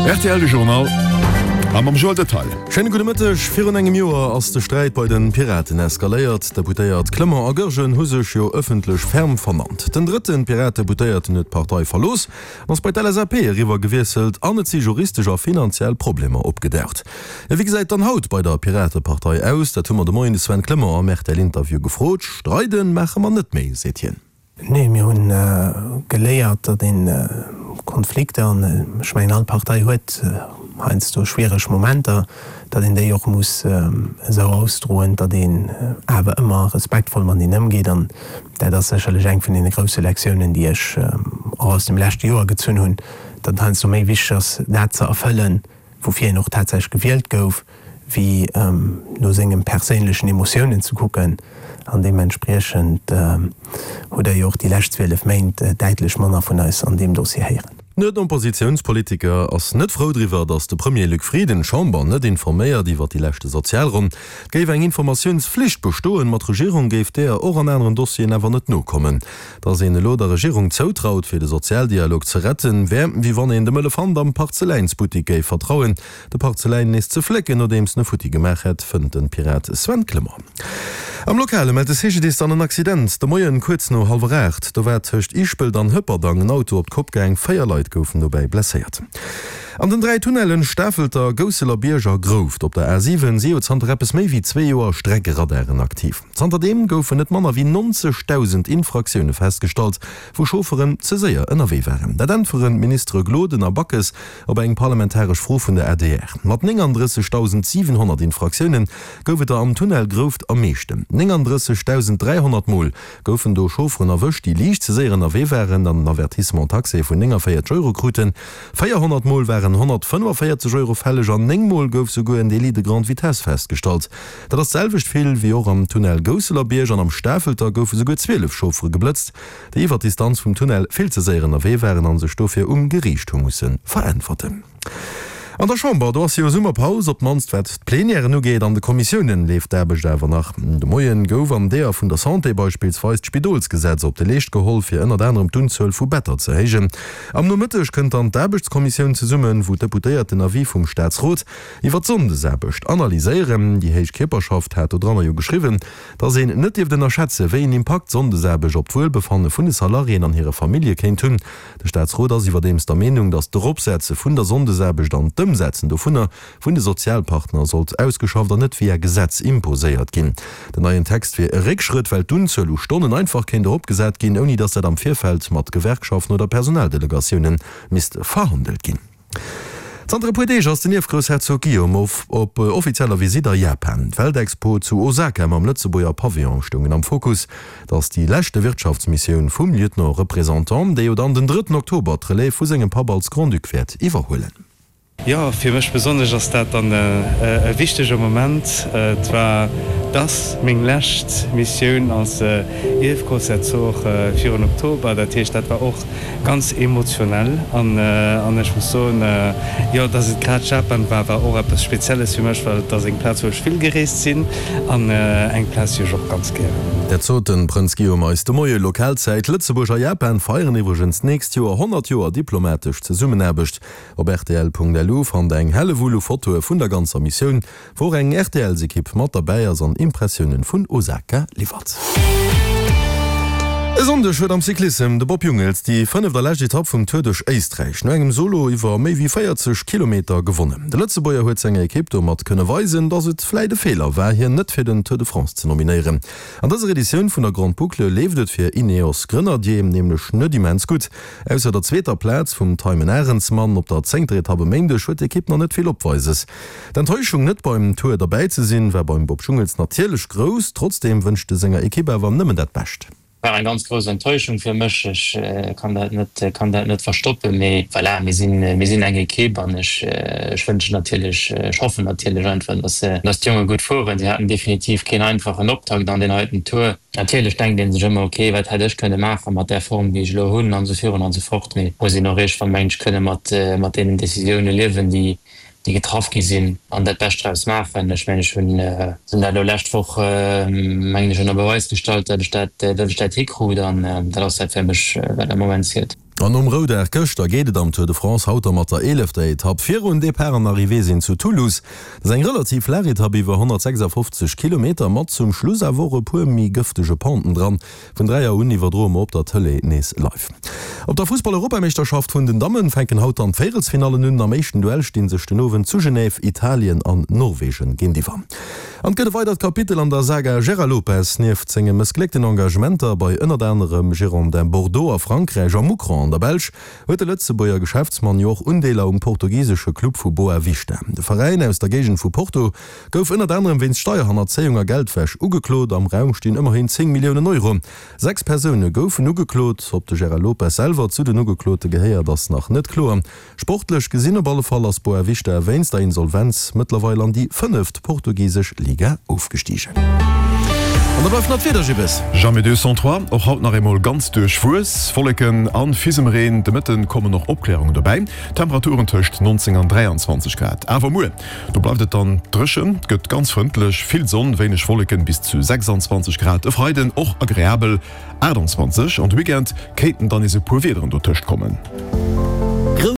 Rtl De Journal a mam Joël Detail. Schéine gudde Mëtteg. Virun engem Joer ass de Sträit bei de Piraten eskaléiert. D'Deputéiert Clement a Goergen hu sech jo ëffentlech ferm vernannt. Den drëtte Piratedeputéierten huet d'Partei verlooss an ass bei d'LSAP eriwwer gewiesselt an et si juristesch a finanziell Problemer opgedaucht. Jo, wéi gesäit dann haut bei der Piratepartei aus? Dat hu mer de Moien de Sven Clement am RTL-Interview gefrot. Streiden maache mer net méi, seet hien. Nee, mir hu geléiert, datt ee Konflikter, an ech mengen all Partei huet heiansdo schwiereg Momenter, datt een déi och muss esou ausdroen, datt een awer ëmmer respektvoll mateneen ëmgeet. An dat ass sécherlech eng vun deene grousse Lektiounen, déi ech och aus dem leschte Joer gezunn hunn, datt et heiansdo méi wichteg ass, dat ze erfëllen, woufir een och tatsächlech gewielt gouf, wéi no sengem perséinlechen Emotiounen ze kucken. An deementspriechend hutt Der jo och déi lescht 12 Méint däitlech manner vun eis an deem Dossier héieren. Den Oppositiounspolitiker ass net frou driwwer, datt de Premier Luc Frieden d'Chamber net informéiert iwwer déi leschte Sozialronn. Et géif eng Informatiounsflicht bestoen, ma d'Regierung géif deeër och an aneren Dossieren awer net nokommen. Datt een elo der Regierung zoutraut, fir de Sozialdialog ze retten, wär, wéi wann een dem Elefant am Parzeläinsbuttik géif vertrauen, de Parzeläin nees ze flécken, nodeems en e futti gemaach hätt, fënnt de Pirat Sven Clement. Am Lokale mellt de CGDIS dann en Accident de Moien kuerz no hallwer 8. Do war tëscht Ischpelt an Hëpperdang en Auto op d'Kopp gaang, 4 Leit goufen dobäi blesséiert. An den 3 Tunnellen Stafelter, Gousseler Bierg a Grouft op der A7 si jo zanter eppes méi wéi zwee Joer Streckeradaren aktiv. Zanterdeem goufen net manner wéi 90.000 Infraktioune festgestallt, wou Chaufferen ze séier ënnerwee waren. Dat äntweren d'Ministere Gloden a Backes op eng parlamentaresch Fro vun der adr. Mat 39.700 Infraktioune gouf et der am Tunnel Grouft am meeschten. 39.300 Mol goufen do Chaufferen erwëscht, déi liicht ze séier ënnerwee waren an en Avertissement taxé vun 49 Euro kruten. 400 Mol waren 145 Euro fälleg an 9 Mol gouf souguer en Délit de grande vitesse festgestallt. Dat ass d'selwecht vill wéi och am Tunnel Gousselerbiërg an am Stafelter goufe souguer 12 Chauffere geblëtzt, déi iwwer d'Distanz vum Tunnel vill ze séier ënnerwee waren a sech dofir um Geriicht hu musse veräntwerten. An der Chamber, do ass jo Summerpaus, op d'mannst wat d'Plenièren ugeet. An de Kommissiounen leeft d'Aarbecht awer nach. De Moien gouf an deeër vun der Santé beispillsweis d'Spidolsgesetz op de Leescht geholl, fir ënnert anerem d'Unzuel vu Better ze héijen. Am Nomëtteg kënnt dann d'Aarbechtskommissioun zesummen, wou d'Deputéiert den Avis vum Staatsrot Iwwer d'Sonndesaarbecht analyséieren. Déi héich Kierperschaft hat dodranner jo geschriwwen, datt een net dierft ënnerschätze wéi een Impakt d'Sonndesaarbecht op d'Wuelbefanne vun de Salariéen an hire Famillje kéint hunn. De Staatsrot ass iwwerdeems der Meenung, datt d'Eropsetze vun der Sonndesaarbecht an d'Ëmsetzen dovunner vun de Sozialpartner sollt ausgeschafft an net via Gesetz imposéiert ginn. Den neien Text wier e Réckschrëtt, well d'Unzuel u Stonnen einfach kéint eropgesat ginn, ouni datt dat am Virfeld mat Gewerkschaften oder Personaldelegatioune misst verhandelt ginn. Zanter e puer Deeg ass den Ierfgroussherzog Guillaume op offizieller Visitt a Japan. D'Weltexpo zu Osaka mam Lëtzebuerger Pavillon stoungen am Fokus. Et ass déi leschte Wirtschaftsmissioun vum Lieutenant Représentant, dee jo dann den drëtten Oktober d'Relève vu sengem Papp als Grand-Duc wäert iwwerhuelen. Jo, fir mech besonnesch ass dat dann e wichtege Moment. Et war, et ass meng lescht Missioun als Ierfgroussherzog virun Oktober. Dat heescht, dat war och Ganz emotionell an ech muss soen, jo, dass et grad Japan war, war och eppes Spezielles fir mech, well et ass eng Plaz, wou ech vill gereest sinn an eng Plaz, déi ech och ganz gären hunn. Dat sot de Prënz Guillaume eis de Moie Lokalzäit. Lëtzebuerg a Japan feieren iwwregens d'nächst Joer 100 Joer diplomatesch Zesummenaarbecht. Op rtl.lu fannt eng Hellewull u Fotoe vun der ganzer Missioun. Wou och eng RTLs-Ekipp mat derbäi ass an Impressiounen vun Osaka liwwert. E Sonndeg huet am Cyclissem de Bob Jungels déi fënneft a lescht Etapp vum Tour duerch Éisträich no engem Solo iwwer méi wéi 40 Kilometer gewonnen. De Lëtzebuerger huet senger Ekipp domat kënne weisen, datt et vläit e Feeler war, hien net fir den Tour de France ze nominéieren. An dëser Editioun vun der Grande Boucle leeft et fir Ineos Grenadier nämlech net immens gutt. Ausser der zweeter Plaz vum Thymen Arensmann op der zéngter Etapp e Méindeg huet d'Ekipp nach net vill Opweises. D'Enttäuschung net beim Tour derbäi ze sinn, war beim Bob Jungels natierlech grouss. Trotzdeem wënscht e senger Ekipp awer nëmmen dat Bescht. War eng ganz grouss Enttäuschung fir mech. Ech kann dat net, kann dat net verstoppen. Mee voilà, mir sinn, mir sinn eng Ekipp an ech, ech wënschen natierlech, ech hoffen natierlech einfach, dass, dass d'Jonge gutt fueren. Si haten definitiv keen einfachen Optakt an deen heiten Tour. Natierlech denkt ee sech ëmmer, ok, wat hätt ech kënne maache mat där Form, déi ech elo hunn an esou virun an esou fort. Mee muss een och iergendwann, mengen ech, kënne mat, mat deenen Decisioune liewen, déi, déi getraff gi sinn, an dat Bescht draus maachen. Ech mengen, ech hunn dat elo lescht Woch, mengen ech, ënner Beweis gestallt, datt ech dat, datt ech dat hikrut an dat ass dat fir mech, wat am Moment zielt. An nom Roudag gëschter geet et am Tour de France haut da mat der eelefter Etapp virun. Depart an Arrivée sinn zu Toulouse. Dat ass eng relativ laang Etapp iwwer 156 Kilometer, mat zum Schluss awer och e puer méi gëftege Penten dran. Vun 3 Auer un iwwerdroe mer op der Tëlee nees live. Op der Fussball-Europameeschterschaft vun den Dammen fänken haut dann d'Véierelsfinallen un. Am éischten Duell sti sech den Owend zu Genève Italien an Norwegen géintiwwer. An et gëtt e weidert Kapitel an der Saga Gérard Lopez. Nieft senge mëssgléckten Engagementer bei ënnert anerem Girondins Bordeaux a Frankräich a Mouscron an der Belsch huet de Lëtzebuerger Geschäftsmann jo och Undeeler um portugisesche Club vu Boavista. De Veräin aus der Géigend vu Porto Gouf ënnert anerem wéinst Steierhannerzéiung a Geldwäsch ugeklot. Am Raum stinn ëmmerhin 10 Milliounen Euro. 6 Persoune goufen ugeklot. Ob de Gérard Lopez selwer zu den Ugeklote gehéiert, ass nach net kloer. Sportlech gesinn op alle Fall ass Boavista wéinst der Insolvenz mëttlerweil an déi fënneft portugisesch Liga ofgestigen. An da bleift nach d'Wieder, Gibbes. Jamais 203, och haut nach eemol ganz duerchwuess, Wolleken an Fisemreen, de Mëtten kommen och Opklärungen dobäi, Temperaturen tëscht 19 an 23 Grad. Awer muer Do bleift et dann dréchen, et gëtt ganz frëndlech, vill Sonn, wéineg Wolleken, bis zu 26 Grad. E Freiden och agreabel, 28, an de Weekend kéinten dann nees e puer Wiederen dotëscht kommen.